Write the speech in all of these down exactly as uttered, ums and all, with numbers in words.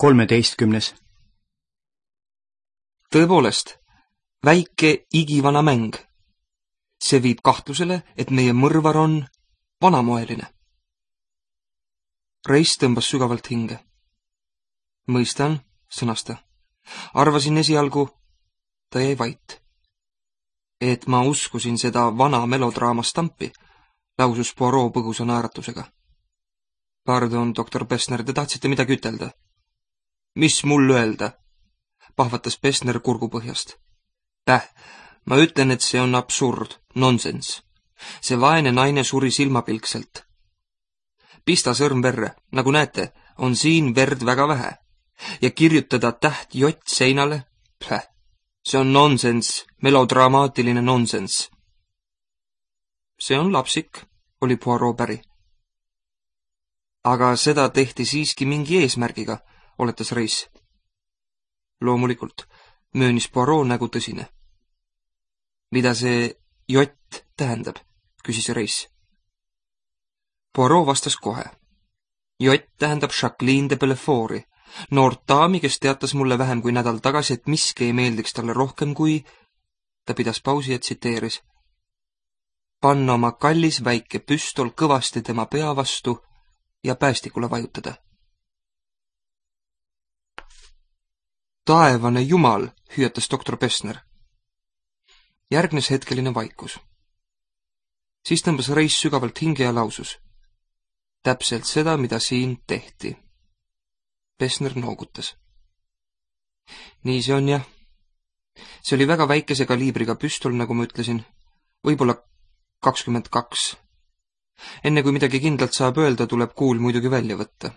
kolmeteistkümnes. Tõepoolest, väike igivana mäng. See viib kahtlusele, et meie mõrvar on vanamoeline. Reis tõmbas sügavalt hinge. Mõistan, sõnas ta. Arvasin esialgu, ta jäi vait. Et ma uskusin seda vana melodraama stampi, lausus Poirot põgusa naeratusega. Pardon, doktor Pessner, te tahtsite midagi ütelda? Mis mul öelda? Pahvatas Pessner kurgupõhjast. Päh, ma ütlen, et see on absurd, nonsens. See vaene naine suri silmapilkselt. Pista sõrm verre, nagu näete, on siin verd väga vähe. Ja kirjutada täht jott seinale? Päh, see on nonsens, melodramaatiline nonsens. See on lapsik, oli Poirot päri. Aga seda tehti siiski mingi eesmärgiga, oletas Reis. Loomulikult, möönis Poirot nägu tõsine. Mida see jott tähendab, küsis Reis. Poirot vastas kohe. Jott tähendab Jacqueline de Bellefort'i, noort daami, kes teatas mulle vähem kui nädal tagasi, et miski ei meeldiks talle rohkem kui... Ta pidas pausi ja tsiteeris. Panna oma kallis väike püstol kõvasti tema pea vastu ja päästikule vajutada. Taevane jumal, hüüatas doktor Pessner. Järgnes hetkeline vaikus. Siis tõmbas Reis sügavalt hinge ja lausus. Täpselt seda, mida siin tehti. Pessner noogutas. Nii see on, jah. See oli väga väikese kaliibriga püstol, nagu ma ütlesin. Võib-olla kakskümmend kaks. Enne kui midagi kindlalt saab öelda, tuleb kuul muidugi välja võtta.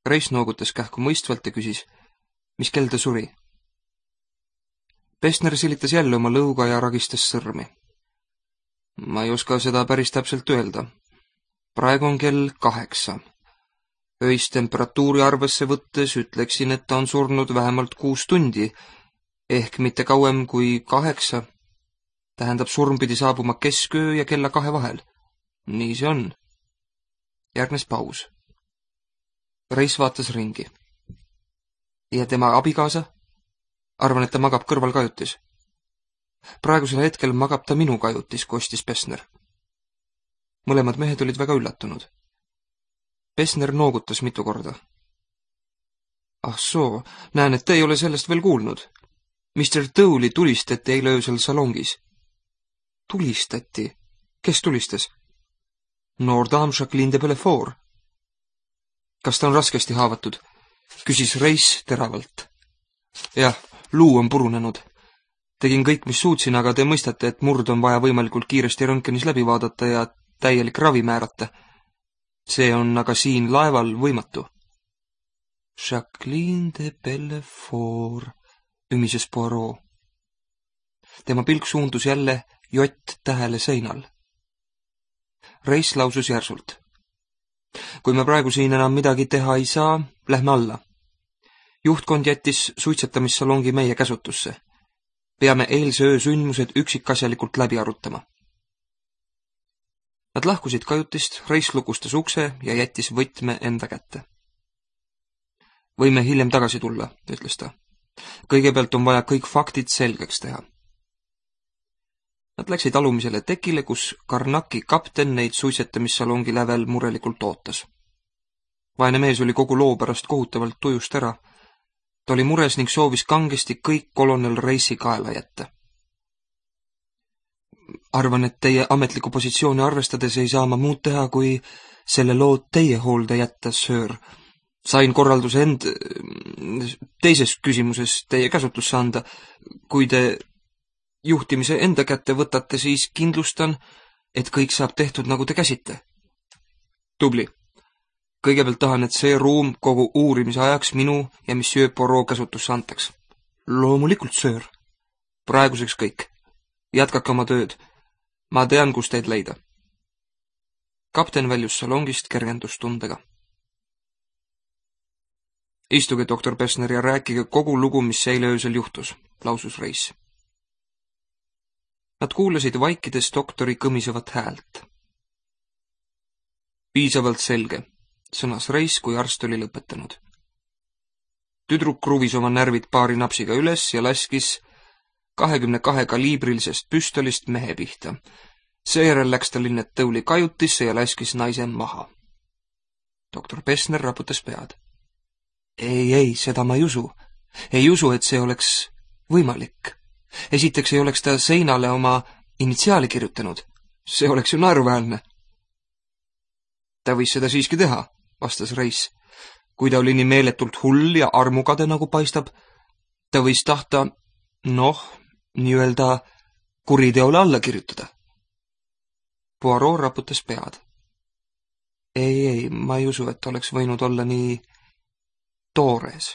Reis noogutas kähku mõistvalt ja küsis, mis kell ta suri. Pessner silitas jälle oma lõuga ja ragistas sõrmi. Ma ei oska seda päris täpselt öelda. Praegu on kell kaheksa. Öist temperatuuri arvesse võttes ütleksin, et ta on surnud vähemalt kuus tundi, ehk mitte kauem kui kaheksa. Tähendab, surm pidi saabuma kesköö ja kella kahe vahel. Nii see on. Järgnes paus. Reis vaatas ringi. Ja tema abikaasa? Arvan, et ta magab kõrval kajutis. Praegusel hetkel magab ta minu kajutis, kostis Pessner. Mõlemad mehed olid väga üllatunud. Pessner noogutas mitu korda. Ah soo, näen, et te ei ole sellest veel kuulnud. mister Dowley tulistati eile öösel salongis. Tulistati? Kes tulistas? Noor daam Jacqueline de Bellefort. Kas ta on raskesti haavatud? Küsis Reis teravalt. Jah, luu on purunenud. Tegin kõik, mis suutsin, aga te mõistate, et murd on vaja võimalikult kiiresti röntgenis läbi vaadata ja täielik ravi määrata. See on aga siin laeval võimatu. Jacqueline de Bellefort, ümises Poirot. Tema pilk suundus jälle jott tähele seinal. Reis lausus järsult. Kui me praegu siin enam midagi teha ei saa, lähme alla. Juhtkond jättis suitsetamissalongi meie käsutusse. Peame eilse öö sündmused üksikasjalikult läbi arutama. Nad lahkusid kajutist, Reis lukustas ukse ja jättis võtme enda kätte. Võime hiljem tagasi tulla, ütles ta. Kõigepealt on vaja kõik faktid selgeks teha. Nad läksid alumisele tekile, kus Karnaki kapten neid suitsetamissalongi lävel murelikult ootas. Vaene mees oli kogu loo pärast kohutavalt tujust ära. Ta oli mures ning soovis kangesti kõik kolonel Reisi kaela jätta. Arvan, et teie ametliku positsiooni arvestades ei saa ma muud teha, kui selle loo teie hoolde jätta, söör. Sain korralduse end teises küsimuses teie käsutusse anda. Kui te juhtimise enda kätte võtate, siis kindlustan, et kõik saab tehtud, nagu te käsite. Tubli. Kõigepealt tahan, et see ruum kogu uurimise ajaks minu ja monsieur Poirot käsutusse antaks. Loomulikult, söör. Praeguseks kõik. Jätkake oma tööd. Ma tean, kus teid leida. Kapten väljus salongist kergendustundega. Istuge, doktor Pessner, ja rääkige kogu lugu, mis eile öösel juhtus, lausus Reis. Nad kuulasid vaikides doktori kõmisevat häält. Piisavalt selge, sõnas Reis, kui arst oli lõpetanud. Tüdruk kruvis oma närvid paari napsiga üles ja laskis kahekümne kahe kaliibrilisest püstolist mehe pihta. Seejärel läks ta linnet tõuli kajutisse ja laskis naise maha. Doktor Pessner raputas pead. Ei, ei, seda ma ei usu. Ei usu, et see oleks võimalik. Esiteks ei oleks ta seinale oma initsiaali kirjutanud. See oleks ju naeruväärne. Ta võis seda siiski teha, vastas Reis. Kui ta oli nii meeletult hull ja armukade nagu paistab, ta võis tahta, noh, nii-öelda kuriteole alla kirjutada. Poirot raputas pead. Ei, ei, ma ei usu, et oleks võinud olla nii toores.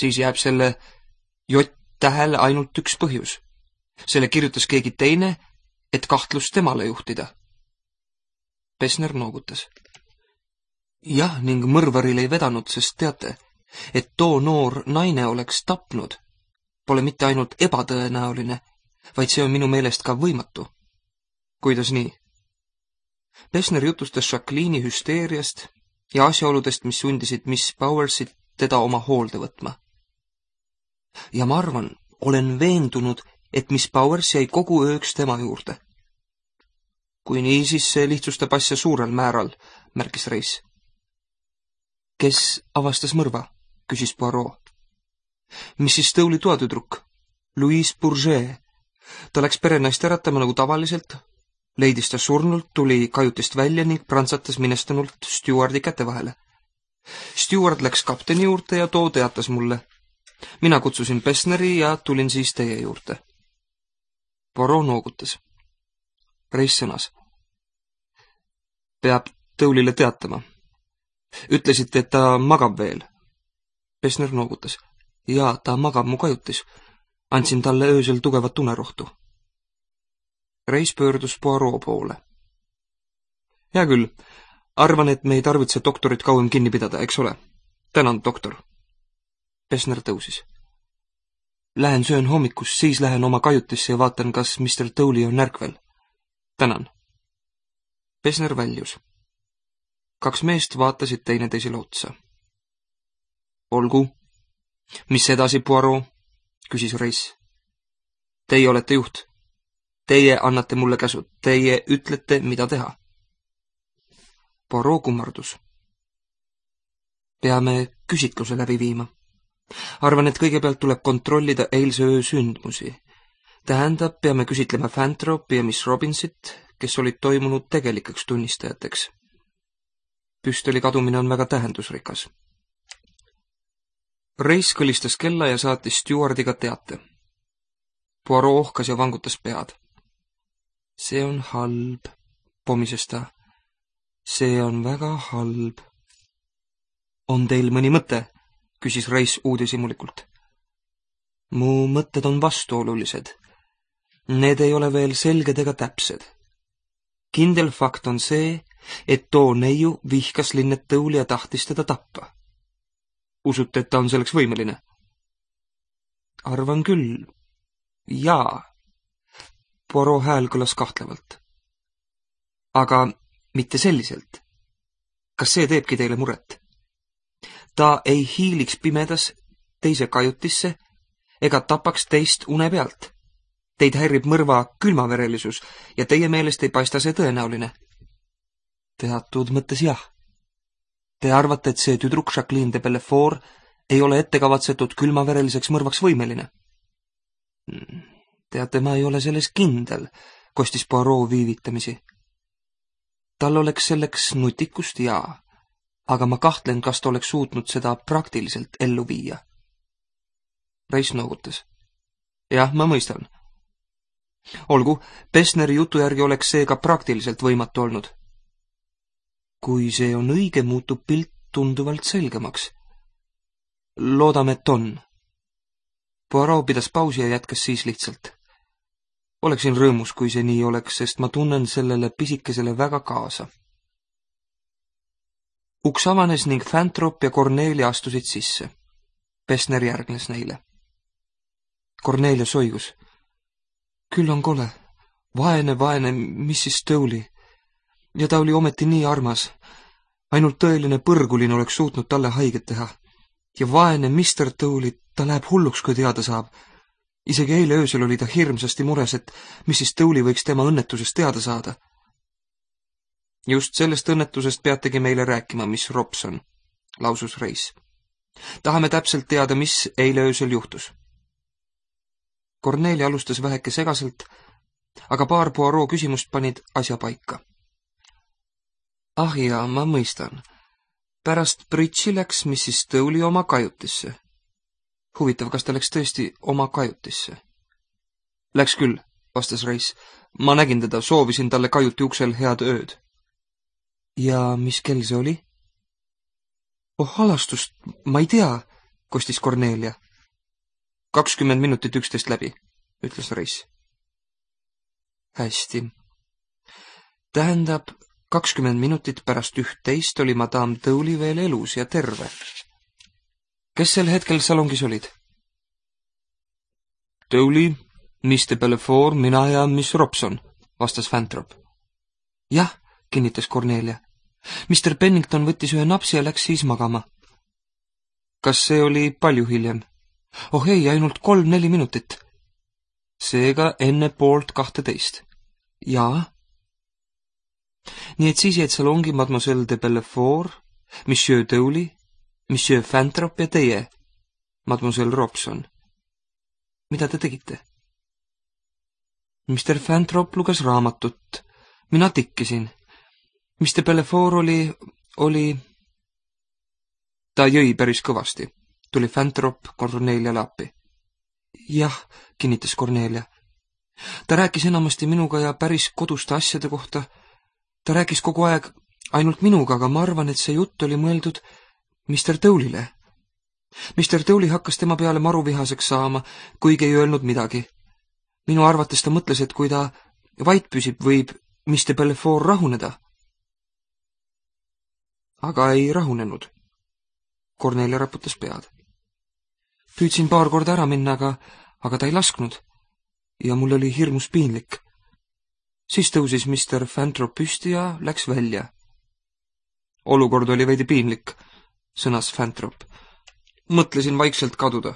Siis jääb selle J-tähele ainult üks põhjus. Selle kirjutas keegi teine, et kahtlust temale juhtida. Pessner noogutas. Jah, ning mõrvaril ei vedanud, sest teate, et too noor naine oleks tapnud. Pole mitte ainult ebatõenäoline, vaid see on minu meelest ka võimatu. Kuidas nii? Pessner jutustas Jacqueline'i hüsteeriast ja asjaoludest, mis sundisid Miss Powersit teda oma hoolde võtma. Ja ma arvan, olen veendunud, et Miss Powers jäi kogu ööks tema juurde. Kui nii, siis see lihtsustab asja suurel määral, märkis Reis. Kes avastas mõrva? Küsis Poirot. missis Stowli toatüdruk, Louise Bourget. Ta läks perenaist äratama nagu tavaliselt, leidis ta surnult, tuli kajutist välja ning prantsatas minestunult Stewardi käte vahele. Steward läks kapteni juurde ja too teatas mulle. Mina kutsusin Pessneri ja tulin siis teie juurde. Poirot noogutas. Reis sõnas. Peab Tõulile teatama. Ütlesite, et ta magab veel. Pessner noogutas. Jaa, ta magab mu kajutis. Andsin talle öösel tugevat unerohtu. Reis pöördus Poirot poole. Hea küll, arvan, et me ei tarvitse doktorit kauem kinni pidada, eks ole? Tänan, doktor. Pessner tõusis. Lähen söön hommikus, siis lähen oma kajutisse ja vaatan, kas mister Tõuli on ärkvel. Tänan. Pessner väljus. Kaks meest vaatasid teineteisele otsa. Olgu. Mis edasi, Poirot? Küsis Reis. Teie olete juht. Teie annate mulle käsud. Teie ütlete, mida teha. Poirot kummardus. Peame küsitluse läbi viima. Arvan, et kõigepealt tuleb kontrollida eilse öö sündmusi. Tähendab, peame küsitlema Fantropi ja Miss Robinsit, kes olid toimunud tegelikeks tunnistajateks. Püstoli kadumine on väga tähendusrikas. Reis kõlistas kella ja saatis Stewardiga teate. Poirot ohkas ja vangutas pead. See on halb, pomises ta. See on väga halb. On teil mõni mõte? Küsis Reis uudishimulikult. Mu mõtted on vastuolulised. Need ei ole veel selged ega täpsed. Kindel fakt on see, et too neiu vihkas linnet Tõuli ja tahtis teda tappa. Usute, et ta on selleks võimeline? Arvan küll. Jaa. Poirot hääl kõlas kahtlevalt. Aga mitte selliselt. Kas see teebki teile muret? Ta ei hiiliks pimedas teise kajutisse ega tapaks teist une pealt. Teid häirib mõrva külmaverelisus ja teie meelest ei paista see tõenäoline. Teatud mõttes jah. Te arvate, et see tüdruk Jacqueline de Bellefort ei ole ettekavatsetud külmavereliseks mõrvaks võimeline? Teate, ma ei ole selles kindel, kostis Poirot viivitamisi. Tal oleks selleks nutikust, jaa, aga ma kahtlen, kas ta oleks suutnud seda praktiliselt ellu viia. Reis noogutas. Jah, ma mõistan. Olgu, Pessneri jutu järgi oleks see ka praktiliselt võimatu olnud. Kui see on õige, muutub pilt tunduvalt selgemaks. Loodame, et on. Poirot pidas pausi ja jätkas siis lihtsalt. Oleksin rõõmus, kui see nii oleks, sest ma tunnen sellele pisikesele väga kaasa. Uks avanes ning Fantrop ja Cornelia astusid sisse. Pessner järgnes neile. Cornelia soigus. Küll on kole. Vaene, vaene missis Stowli. Ja ta oli ometi nii armas. Ainult tõeline põrgulin oleks suutnud talle haiget teha. ja vaene mister Tõuli, ta läheb hulluks, kui teada saab. Isegi eile öösel oli ta hirmsasti mures, et missis Tõuli võiks tema õnnetusest teada saada. Just sellest õnnetusest peategi meile rääkima, miss Robson, lausus Reis. Tahame täpselt teada, mis eile öösel juhtus. Kornelia alustas väheke segaselt, aga paar Poirot küsimust panid asja paika. Ah jaa, ma mõistan. Pärast Bridži läks missis Tõuli oma kajutisse. Huvitav, kas ta läks tõesti oma kajutisse? Läks küll, vastas Reis. Ma nägin teda, soovisin talle kajuti uksel head ööd. Ja mis kell see oli? Oh, halastust, ma ei tea, kostis Kornelia. kakskümmend minutit üksteist läbi, ütles Reis. Hästi. Tähendab, kakskümmend minutit pärast üht-teist oli madame Tõuli veel elus ja terve. Kes sel hetkel salongis olid? Tõuli, miss de Belfort, mina ja miss Robson, vastas Fantrop. Jah, kinnitas Kornelia. mister Pennington võttis ühe napsi ja läks siis magama. Kas see oli palju hiljem? Oh ei, ainult kolm-neli minutit. Seega enne poolt kahteteist. Jaa. Nii et siis jäid salongi mademoiselle de Belfort, monsieur Tõuli, monsieur Fantrop ja teie, mademoiselle Robson. Mida te tegite? mister Fantrop luges raamatut. Mina tikkisin. mister Belfort oli, oli... Ta jõi päris kõvasti. Tuli Fantrop Korneliale appi. Jah, kinnitas Kornelia. Ta rääkis enamasti minuga ja päris koduste asjade kohta. Ta rääkis kogu aeg ainult minuga, aga ma arvan, et see jutt oli mõeldud mister Tõulile. mister Tõuli hakkas tema peale maruvihaseks saama, kuigi ei öelnud midagi. Minu arvates ta mõtles, et kui ta vait püsib, võib mister Belfort rahuneda. Aga ei rahunenud. Kornelia raputas pead. Püüdsin paar korda ära minna, aga, aga ta ei lasknud. Ja mul oli hirmus piinlik. Siis tõusis mister Fantrop püsti ja läks välja. Olukord oli veidi piinlik, sõnas Fantrop. Mõtlesin vaikselt kaduda.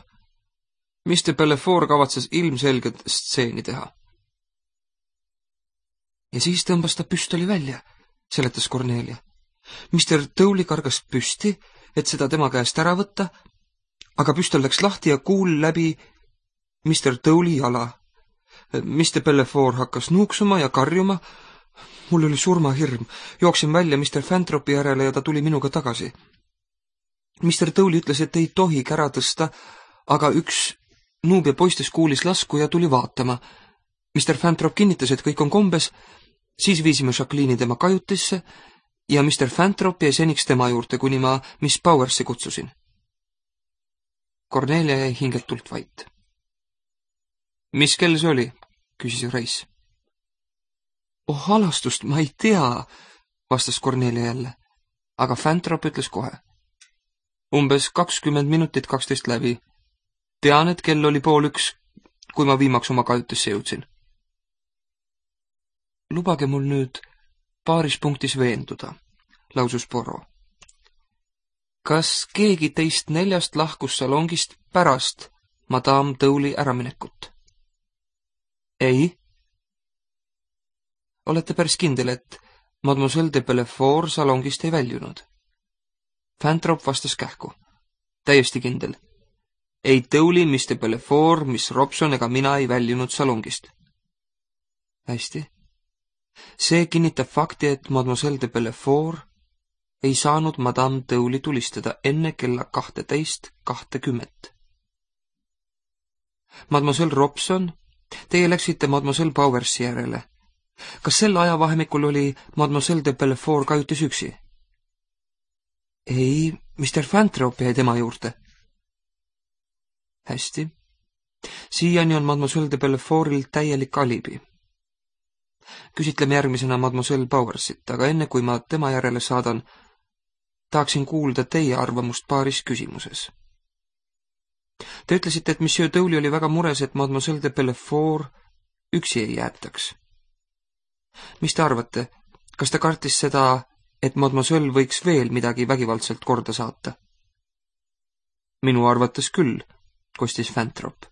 mister Belfort kavatses ilmselgelt stseeni teha. Ja siis tõmbas ta püstoli välja, seletas Kornelia. mister Tõuli kargas püsti, et seda tema käest ära võtta, aga püstol läks lahti ja kuul läbi mister Tõuli jala. mister Belfort hakkas nuuksuma ja karjuma. Mul oli surmahirm. Jooksin välja mister Fantropi järele ja ta tuli minuga tagasi. mister Tõuli ütles, et ei tohi kära tõsta, aga üks Nuubia poistes kuulis lasku ja tuli vaatama. mister Fantrop kinnitas, et kõik on kombes, siis viisime Jacqueline'i tema kajutisse ja mister Fantrop jäi seniks tema juurde, kuni ma miss Powersi kutsusin. Kornelia jäi hingetult vait. Mis kell see oli? Küsis Reis. Oh, halastust, ma ei tea, vastas Kornelia jälle, aga Fantrop ütles kohe. Umbes kakskümmend minutit kaksteist läbi. Tean, et kell oli pool üks, kui ma viimaks oma kajutisse jõudsin. Lubage mul nüüd paaris punktis veenduda, lausus Poirot. Kas keegi teist neljast lahkus salongist pärast madame Tõuli äraminekut? Ei. Olete päris kindel, et mademoiselle de Belfort salongist ei väljunud? Fantrop vastas kähku. Täiesti kindel. Ei Tõuli, miss de Belfort, miss Robson ega mina ei väljunud salongist. Hästi. See kinnitab fakti, et mademoiselle de Belfort ei saanud madame Tõuli tulistada enne kella kahteteist kahtekümmet. Mademoiselle Robson, teie läksite mademoiselle Powersi järele. Kas sel ajavahemikul oli mademoiselle de Belfort kajutis üksi? Ei, mister Fantrop jäi tema juurde. Hästi. Siiani on mademoiselle de Belfortil täielik alibi. Küsitleme järgmisena mademoiselle Powersit, aga enne kui ma tema järele saadan, tahaksin kuulda teie arvamust paaris küsimuses. Te ütlesite, et monsieur Tõuli oli väga mures, et mademoiselle de Belfort üksi ei jäetaks. Mis te arvate, kas ta kartis seda, et mademoiselle võiks veel midagi vägivaldselt korda saata? Minu arvates küll, kostis Fantrop.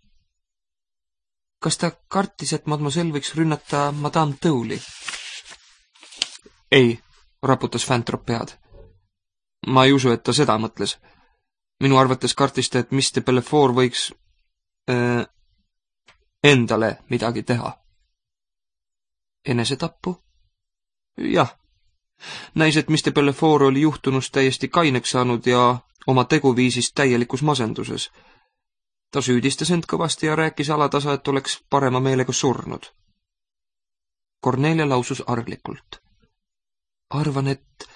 Kas ta kartis, et mademoiselle võiks rünnata Madame Tõuli? Ei, raputas Fantrop pead. Ma ei usu, et ta seda mõtles. Minu arvates kartis ta, et mister Belfort võiks äh, endale midagi teha. Enesetappu? Jah. Näis, et mister Belfort oli juhtunust täiesti kaineks saanud ja oma teguviisist täielikus masenduses. Ta süüdistas end kõvasti ja rääkis alatasa, et oleks parema meelega surnud. Cornelia lausus arglikult. Arvan, et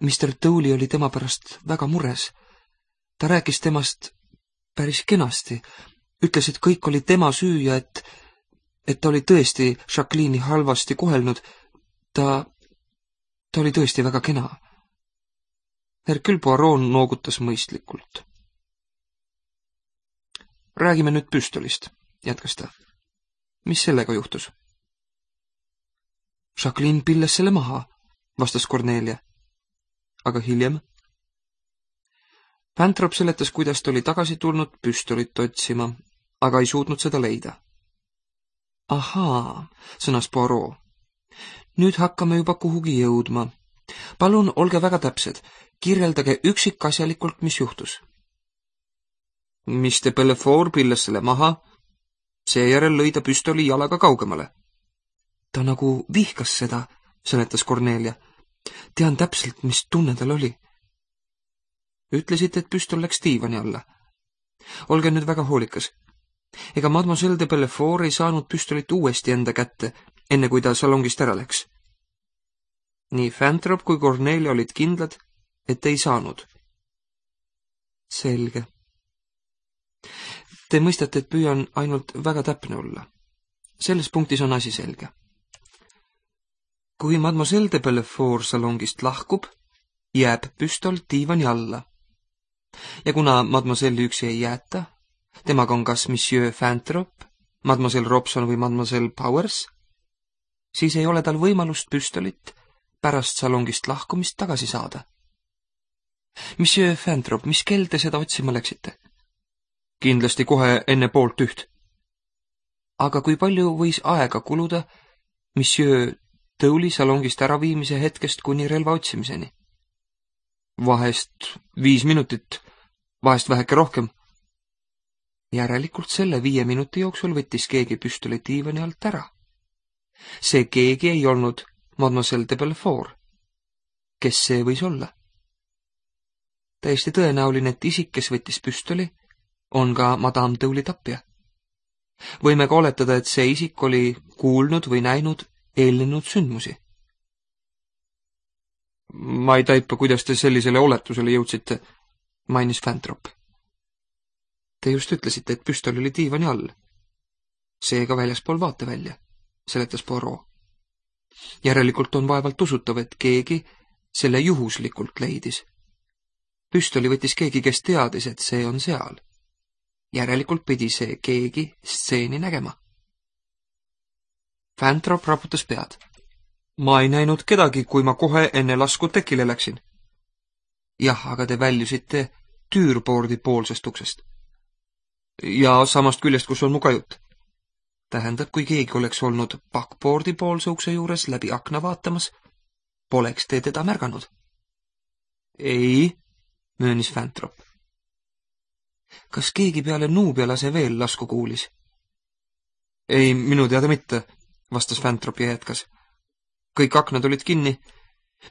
mister Tõuli oli tema pärast väga mures. Ta rääkis temast päris kenasti. Ütles, et kõik oli tema süü ja et, et ta oli tõesti Jacqueline'i halvasti kohelnud. Ta, ta oli tõesti väga kena. Hercule Poirot noogutas mõistlikult. Räägime nüüd püstolist, jätkas ta. Mis sellega juhtus? Jacqueline pilles selle maha, vastas Cornelia. Aga hiljem? Fantrop seletas, kuidas ta oli tagasi tulnud püstolit otsima, aga ei suutnud seda leida. Ahaa, sõnas Poirot. Nüüd hakkame juba kuhugi jõudma. Palun, olge väga täpsed. Kirjeldage üksikasjalikult, mis juhtus. mister Belfort pilles selle maha, seejärel lõi ta püstoli jalaga kaugemale. Ta nagu vihkas seda, seletas Cornelia. Tean täpselt, mis tunne tal oli. Ütlesite, et püstol läks diivani alla. Olge nüüd väga hoolikas. Ega mademoiselle de Belfort ei saanud püstolit uuesti enda kätte, enne kui ta salongist ära läks. Nii Fantrop kui Cornelia olid kindlad, et ei saanud. Selge. Te mõistate, et püüan ainult väga täpne olla. Selles punktis on asi selge. Kui mademoiselle de Belfort salongist lahkub, jääb püstol diivani alla. Ja kuna mademoiselle üksi ei jäeta, temaga on kas monsieur Fantrop, mademoiselle Robson või mademoiselle Powers, siis ei ole tal võimalust püstolit pärast salongist lahkumist tagasi saada. Monsieur Fantrop, mis kell te seda otsima läksite? Kindlasti kohe enne poolt üht. Aga kui palju võis aega kuluda monsieur Tõuli salongist äraviimise hetkest kuni relva otsimiseni? Vahest viis minutit, vahest väheke rohkem. Järelikult selle viie minuti jooksul võttis keegi püstoli diivani alt ära. See keegi ei olnud mademoiselle de Belfort. Kes see võis olla? Täiesti tõenäoline, et isik, kes võttis püstoli, on ka madame Tõuli tapja. Võime ka oletada, et see isik oli kuulnud või näinud eelnenud sündmusi. Ma ei taipa, kuidas te sellisele oletusele jõudsite, mainis Fantrop. Te just ütlesite, et püstol oli diivani all. Seega väljaspool vaatevälja, seletas Poirot. Järelikult on vaevalt usutav, et keegi selle juhuslikult leidis. Püstoli võttis keegi, kes teadis, et see on seal. Järelikult pidi see keegi stseeni nägema. Fantrop raputas pead. Ma ei näinud kedagi, kui ma kohe enne lasku tekile läksin. Jah, aga te väljusite tüürboordi poolsest uksest. Ja samast küljest, kus on mu kajut. Tähendab, kui keegi oleks olnud backboardi poolse ukse juures läbi akna vaatamas, poleks te teda märganud. Ei, möönis Fantrop. Kas keegi peale Nuubialase veel lasku kuulis? Ei, minu teada mitte, vastas Fantrop ja jätkas. Kõik aknad olid kinni.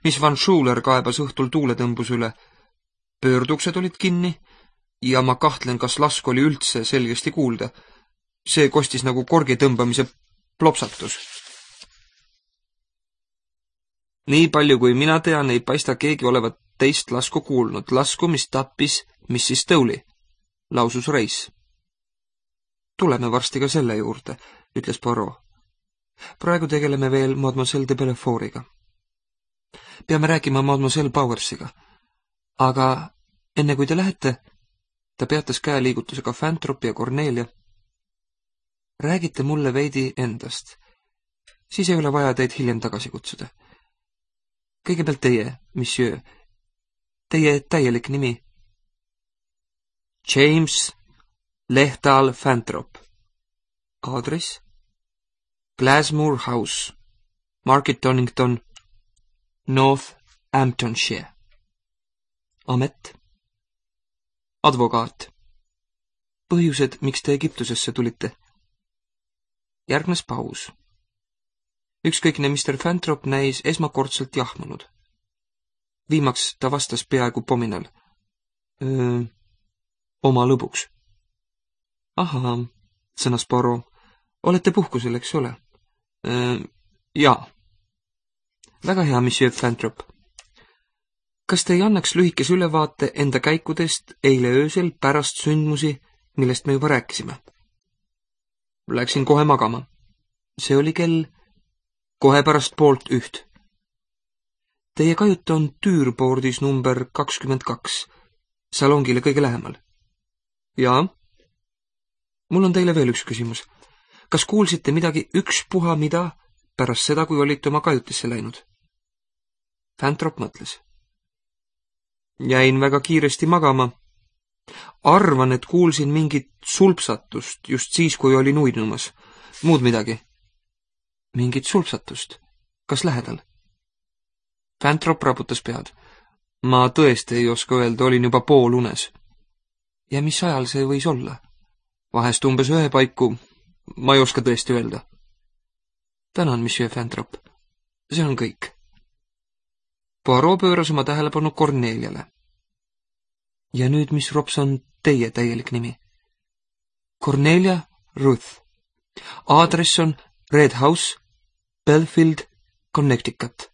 Miss Van Schuler kaebas õhtul tuuletõmbus üle. Pöörduksed olid kinni ja ma kahtlen, kas lasku oli üldse selgesti kuulda. See kostis nagu korgi tõmbamise plopsatus. Nii palju kui mina tean, ei paista keegi olevat teist lasku kuulnud. Lasku, mis tappis missis Tõuli, lausus Reis. Tuleme varsti ka selle juurde, ütles Poirot. Praegu tegeleme veel mademoiselle de Belfortiga. Peame rääkima mademoiselle Powersiga. Aga enne kui te lähete, ta peatas käeliigutusega Fantropi ja Cornelia. Räägite mulle veidi endast. Siis ei ole vaja teid hiljem tagasi kutsuda. Kõigepealt teie, monsieur. Teie täielik nimi. James Lehtal Fantrop. Aadress Glasmoor House, Market Donington, North Hamptonshire. Amet advokaat. Põhjused, miks te Egiptusesse tulite? Järgnes paus. Ükskõikne mister Fantrop näis esmakordselt jahmunud. Viimaks ta vastas peaaegu pominal. Öö, oma lõbuks. Ahaa, sõnas Poirot. Olete puhkusel, eks ole? Öö, jaa. Väga hea, monsieur Fantrop. Kas te ei annaks lühikese ülevaate enda käikudest eile öösel pärast sündmusi, millest me juba rääkisime? Läksin kohe magama. See oli kell kohe pärast poolt üht. Teie kajut on Tüürboordis number kakskümmend kaks, salongile kõige lähemal. Jaa. Mul on teile veel üks küsimus. Kas kuulsite midagi ükspuha mida pärast seda, kui olite oma kajutisse läinud? Fantrop mõtles. Jäin väga kiiresti magama. Arvan, et kuulsin mingit sulpsatust just siis, kui olin uinumas. Muud midagi. Mingit sulpsatust? Kas lähedal? Fantrop raputas pead. Ma tõesti ei oska öelda, olin juba pool unes. Ja mis ajal see võis olla? Vahest umbes ühe paiku. Ma ei oska tõesti öelda. Tänan, monsieur Fantrop. See on kõik. Poirot pööras oma tähelepanu Corneliale. Ja nüüd, mis Rops on teie täielik nimi? Cornelia Ruth. Aadress on Red House, Belfield, Connecticut.